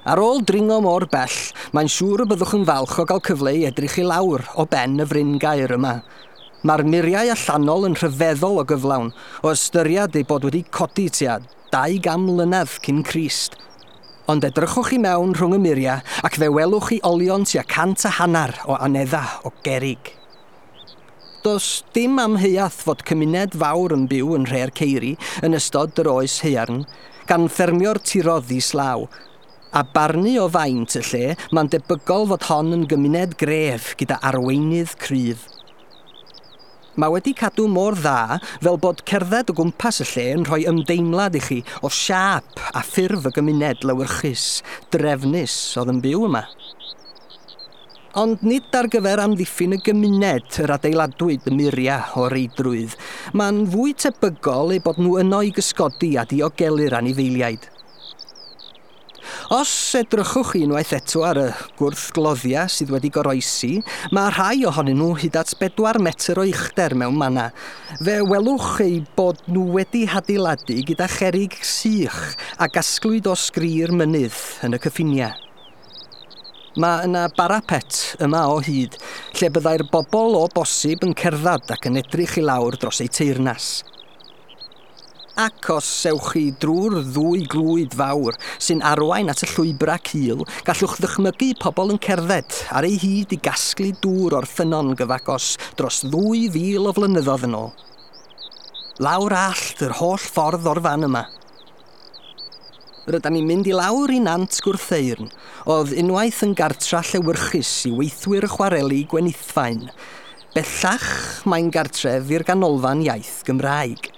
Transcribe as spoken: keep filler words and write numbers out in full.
Ar ôl dringo mor bell, mae'n siŵr y byddwch yn falch o gael cyfle i edrych i lawr o ben y fryngaer yma. Mae'r muriau allanol yn rhyfeddol o gyflawn, o ystyried eu bod wedi codi tua dau gan mlynedd cyn Crist. Ond edrychwch i mewn rhwng y muriau ac fe welwch chi olion tua cant a hanner o anedda o gerrig. Does dim amheuaeth fod cymuned fawr yn byw yn Nhre'r Ceiri yn ystod yr oes haearn, gan ffermio'r tiroedd islaw. A barnu o faint y lle, mae'n debygol fod hon yn gymuned gref gyda arweinydd cryf. Mae wedi cadw mor dda fel bod cerdded o gwmpas y lle yn rhoi ymdeimlad i chi o siâp a ffurf y gymuned lewyrchus, drefnus oedd yn byw yma. Ond nid ar gyfer amddiffyn y gymuned yr adeiladwyd y muriau o reidrwydd. Mae'n fwy tebygol eu bod nhw yno i gysgodi a diogelu'r anifeiliaid. Os edrychwch chi unwaith eto ar y gwrthgloddiau sydd wedi goroesi, mae rhai ohonyn nhw hyd at bedwar metr o uchder mewn manna. Fe welwch eu bod nhw wedi hadeiladu gyda cherrig sych a gasglwyd o sgri'r mynydd yn y cyffiniau. Mae yna barapet yma o hyd, lle byddai'r bobl o bosib yn cerdded ac yn edrych i lawr dros eu teyrnas. Ac os ewch chi drwy'r ddwy glwyd fawr sy'n arwain at y llwybrau cul, gallwch ddychmygu pobl yn cerdded ar ei hyd i gasglu dŵr o'r ffynnon gyfagos dros ddwy fil o flynyddoedd yn ôl. Lawr allt yr holl ffordd o'r fan yma. Rydan ni'n mynd i lawr i Nant Gwrtheyrn, oedd unwaith yn gartra llewyrchus i weithwyr chwareli Gwenithfaen. Bellach mae'n gartref i'r Ganolfan Iaith Gymraeg.